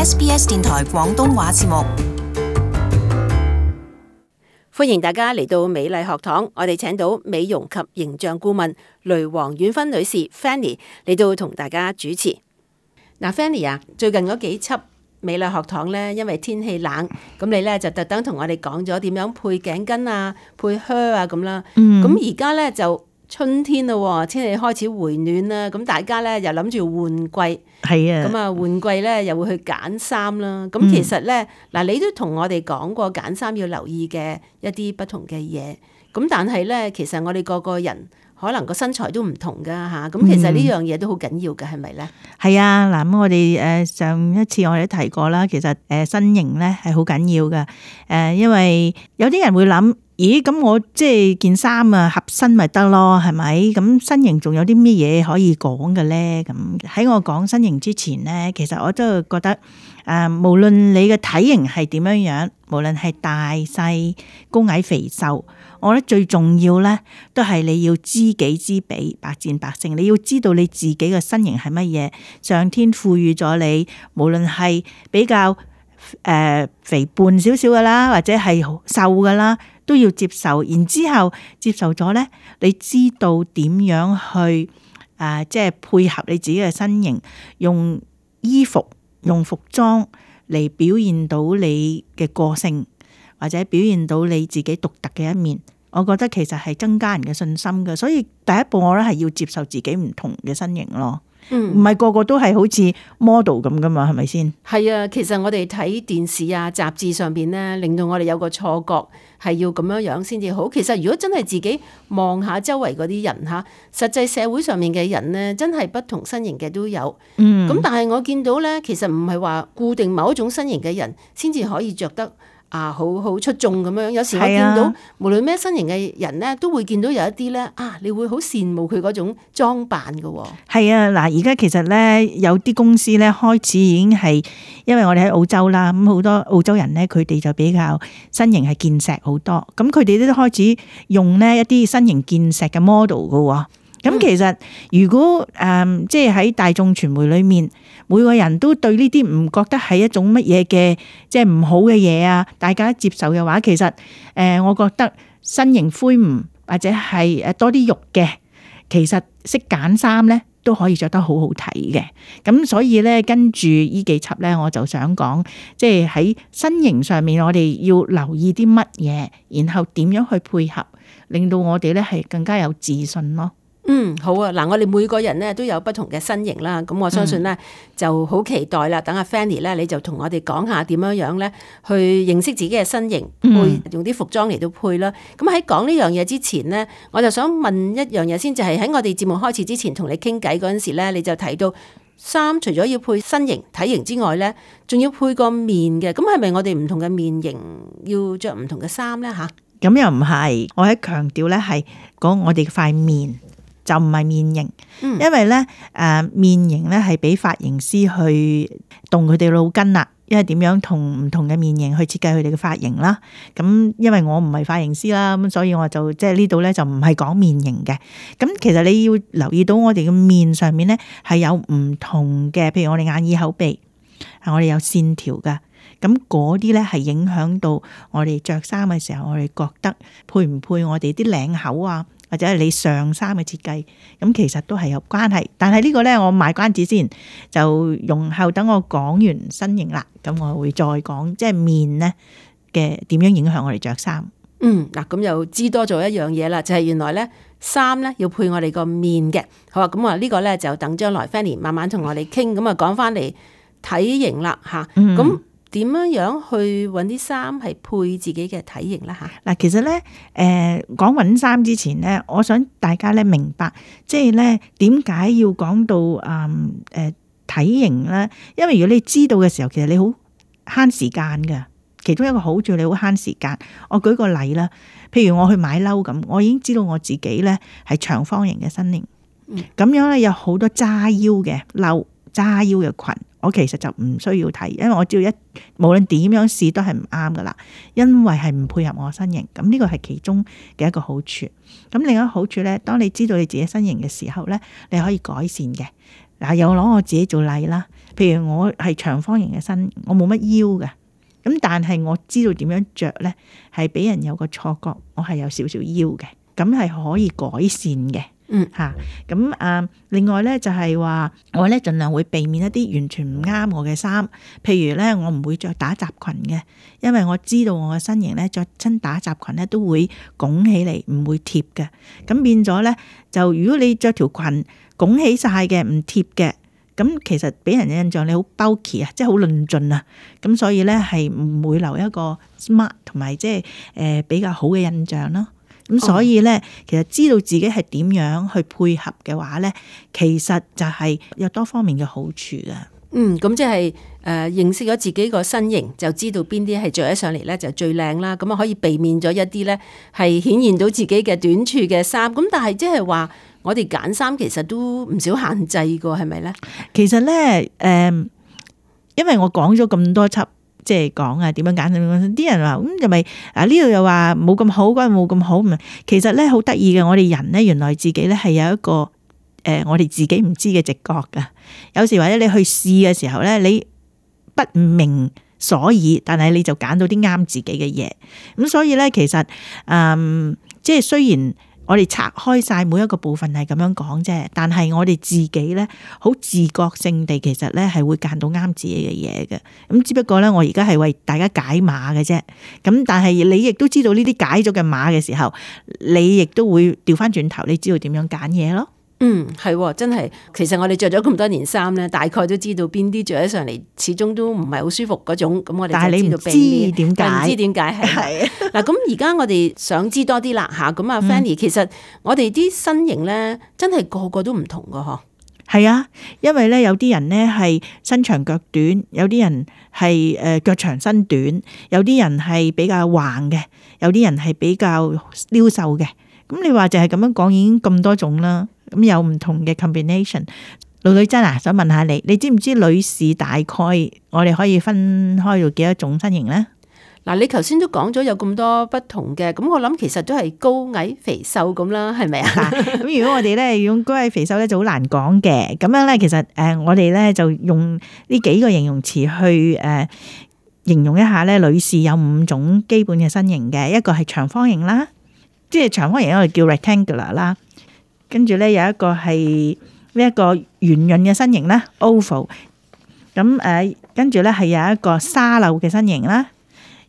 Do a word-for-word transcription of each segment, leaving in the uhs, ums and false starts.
S B S 電台廣東話節目。歡迎大家嚟到美麗學堂，我哋請到美容及形象顧問雷黃婉芬女士 Fanny 嚟到同大家主持。嗱 Fanny 啊，最近嗰幾輯美麗學堂咧，因為天氣冷，咁你咧就特登同我哋講咗點樣配頸巾啊、配靴啊咁啦。咁而家咧就春天咯，天氣開始回暖啦，咁大家咧又諗住換季，係啊，咁啊換季咧又會去揀衫啦。咁其實咧嗱，你都同我哋講過揀衫要留意嘅一啲不同嘅嘢。咁但係咧，其實我哋個個人可能個身材都唔同噶吓。咁其實呢樣嘢都好緊要嘅，係咪咧？係啊，嗱咁我哋誒上一次我哋都提過啦，其實誒身形咧係好緊要嘅。誒，因為有啲人會諗。咦，咁我即係件衫啊合身咪得咯，係咪？咁身形仲有啲咩嘢可以講嘅咧？咁喺我講身形之前咧，其實我都覺得誒、呃，無論你嘅體型係點樣樣，無論係大細、高矮肥瘦，我覺得最重要咧，都係你要知己知彼，百戰百勝。你要知道你自己嘅身形係乜嘢，上天賦予咗你，無論係比較誒、呃、肥胖少少嘅啦，或者係瘦嘅啦。都要接受，然之後接受咗咧，你知道點樣去誒、呃，即係配合你自己嘅身形，用衣服、用服裝嚟表現到你嘅個性，或者表現到你自己獨特嘅一面。我覺得其實係增加人嘅信心嘅，所以第一步我覺得係要接受自己唔同嘅身形咯。唔係、嗯、個個都係好似 model 咁噶嘛，係咪先？係啊，其實我哋睇電視啊、雜誌上邊咧，令到我哋有個錯覺係要咁樣樣先至好。其實如果真係自己望下周圍嗰啲人吓，實際社會上面嘅人咧，真係不同身形嘅都有。嗯，咁但係我見到咧，其實唔係話固定某一種身形嘅人先至可以着得。啊，好好出眾咁樣。有時我見到、啊、無論咩身形嘅人咧，都會見到有一啲咧啊，你會好羨慕佢嗰種裝扮嘅喎。係啊，嗱，而家其實咧有啲公司咧開始已經係，因為我哋喺澳洲啦，咁好多澳洲人咧，佢哋就比較身形係健碩好多，咁佢哋都開始用呢一啲身形健碩嘅 model 嘅喎。咁、嗯、其實如果誒、嗯、即係喺大眾傳媒裏面，每個人都對呢啲唔覺得係一種乜嘢嘅即係唔好嘅嘢啊，大家接受嘅話，其實誒、呃、我覺得身形魁梧或者係誒多啲肉嘅，其實識揀衫咧都可以着得好好睇嘅。咁所以咧跟住呢幾輯咧，我就想講，即係喺身形上面，我哋要留意啲乜嘢，然後點樣去配合，令到我哋咧係更加有自信咯。嗯，好啊，嗱，我哋每個人咧都有不同嘅身形啦，咁我相信咧、嗯、就好期待啦。等阿 Fanny 咧，你就同我哋講下點樣樣咧去認識自己嘅身形，配用啲服裝嚟到配啦。咁喺講呢樣嘢之前咧，我就想問一樣嘢先，就係、是、喺我哋節目開始之前同你傾偈嗰陣時咧，你就提到衫除咗要配身形體型之外咧，仲要配個面嘅。咁係咪我哋唔同嘅面型要着唔同嘅衫咧？吓，咁又唔係，我喺強調咧係講我哋塊面。就唔係面型，因為咧誒、呃、面型咧係俾髮型師去動佢哋腦筋啦，因為點樣同唔同嘅面型去設計佢哋嘅髮型啦。咁因為我唔係髮型師啦，咁所以我就即係呢度咧就唔係講面型嘅。咁其實你要留意到我哋嘅面上面咧係有唔同嘅，譬如我哋眼耳口鼻，係我哋有線條噶。咁嗰啲咧係影響到我哋着衫嘅時候，我哋覺得配唔配我哋啲領口啊？或者係你上衫嘅設計，咁其實都係有關係。但係呢個咧，我賣關子先，就容後等我講完身形啦，咁我會再講即係面咧嘅點樣影響我哋着衫。嗯，嗱，咁又知多咗一樣嘢啦，就係、是、原來咧衫咧要配我哋個面嘅。好啊，咁啊呢個咧就等將來 Fanny 慢慢同我哋傾，咁啊講翻嚟體型啦吓，咁、嗯。點樣樣去揾啲衫係配自己嘅體型啦吓？嗱，其實咧，誒講揾衫之前咧，我想大家咧明白，即係咧點解要講到誒誒、呃、體型咧？因為如果你知道嘅時候，其實你好慳時間噶。其中一個好處，你好慳時間。我舉個例啦，譬如我去買褸咁，我已經知道我自己咧係長方形嘅身形，咁、嗯、樣咧有好多揸腰嘅褸、揸腰嘅裙。我其實就唔需要睇，因為我只要一無論點樣試都係唔啱噶啦，因為係唔配合我身形。咁呢個係其中嘅一個好處。咁另一個好處咧，當你知道你自己身形嘅時候咧，你可以改善嘅。嗱，又攞我自己做例啦。譬如我係長方形嘅身，我冇乜腰嘅，咁但係我知道點樣着咧，係俾人有個錯覺，我係有少少腰嘅，咁係可以改善嘅。嗯吓，咁啊，另外咧就係話我咧盡量會避免一啲完全唔啱我嘅衫，譬如咧我唔會着打褶裙嘅，因為我知道我嘅身形咧着親打褶裙咧都會拱起嚟，唔會貼嘅。咁變咗咧就如果你着條裙拱起晒嘅唔貼嘅，咁其實俾人嘅印象你好 bulky 啊，即係好論盡啊。咁所以咧係唔會留一個 smart 同埋即係誒比較好嘅印象咯。咁所以咧，其實知道自己係點樣去配合嘅話咧，其實就係有多方面嘅好處噶。嗯，咁即係誒認識咗自己個身形，就知道邊啲係着起上嚟咧就最靚啦。咁啊可以避免咗一啲咧係顯現到自己嘅短處嘅衫。咁但係即係話我哋揀衫其實都唔少限制噶，係咪咧？其實咧，誒、呃，因為我講咗咁多輯。即係講啊，點樣揀？啲人話咁又咪啊？呢度又話冇咁好，嗰度冇咁好。其實咧好得意嘅，我哋人咧原來自己咧係有一個誒、呃，我哋自己唔知嘅直覺噶。有時或者你去試嘅時候咧，你不明所以，但係你就揀到啲啱自己嘅嘢。咁所以咧，其實嗯，即係雖然。我哋拆開晒每一個部分係咁樣講啫，但係我哋自己咧好自覺性地，其實咧係會揀到啱自己嘅嘢嘅。咁只不過咧，我而家係為大家解碼嘅啫。咁但係你亦都知道呢啲解咗嘅碼嘅時候，你亦都會調翻轉頭，你知道點樣揀嘢咯。嗯，係真係，其實我哋着咗咁多年衫咧，大概都知道邊啲着起上嚟，始終都唔係好舒服嗰種。咁我哋就知道邊啲，點解？唔知點解係。嗱，咁而家我哋想知多啲啦吓。咁啊 Fanny，其實我哋啲身形咧，真係個個都唔同噶嗬。係啊，因為咧有啲人咧係身長腳短，有啲人係誒腳長身短，有啲人係比較橫嘅，有啲人係比較溜瘦嘅。咁你話就係咁樣講，已經咁多種啦。咁有唔同嘅 combination。盧女真啊，想問下你，你知唔知女士大概我哋可以分開到幾多種身形咧？嗱，你頭先都講咗有咁多不同嘅，咁我諗其實都係高矮肥瘦咁啦，係咪啊？咁如果我哋咧用高矮肥瘦咧就好難講嘅。咁樣咧，其實誒我哋咧就用呢幾個形容詞去誒形容一下咧，女士有五種基本嘅身形嘅，一個係長方形啦，即係長方形我哋叫 rectangular 啦。跟住咧有一個係呢一個圓潤嘅身形啦 ，oval。咁誒，跟住咧係有一個沙漏嘅身形啦，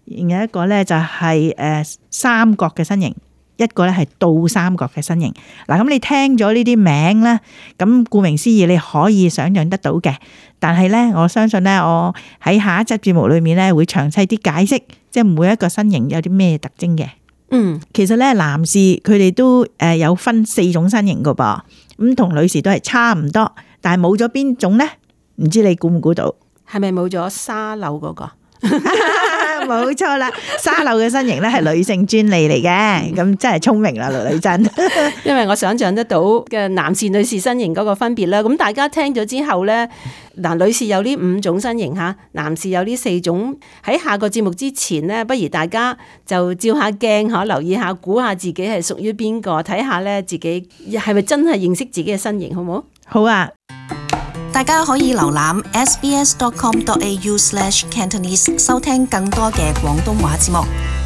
另一個咧就係誒三角嘅身形，一個咧係倒三角嘅身形。嗱，咁你聽咗呢啲名咧，咁顧名思義你可以想象得到嘅。但係咧，我相信咧，我喺下一集節目裏面咧會詳細啲解釋，即係每一個身形有啲咩特徵嘅。嗯，其實咧，男士佢哋都誒有分四種身形噶噃，咁同女士都係差唔多，但係冇咗邊種咧？唔知你估唔估到？係咪冇咗沙漏嗰個？冇錯啦，沙漏嘅身形咧係女性專利嚟嘅，咁真係聰明啦，盧女真。因為我想象得到嘅男士、女士身形嗰個分別啦，咁大家聽咗之後咧，嗱，女士有呢五種身形吓，男士有呢四種。喺下個節目之前咧，不如大家就照下鏡吓，留意下，估下自己係屬於邊個，睇下咧自己係咪真係認識自己嘅身形，好唔好？好啊！大家可以瀏覽 s b s dot com dot a u slash cantonese 收聽更多嘅廣東話節目。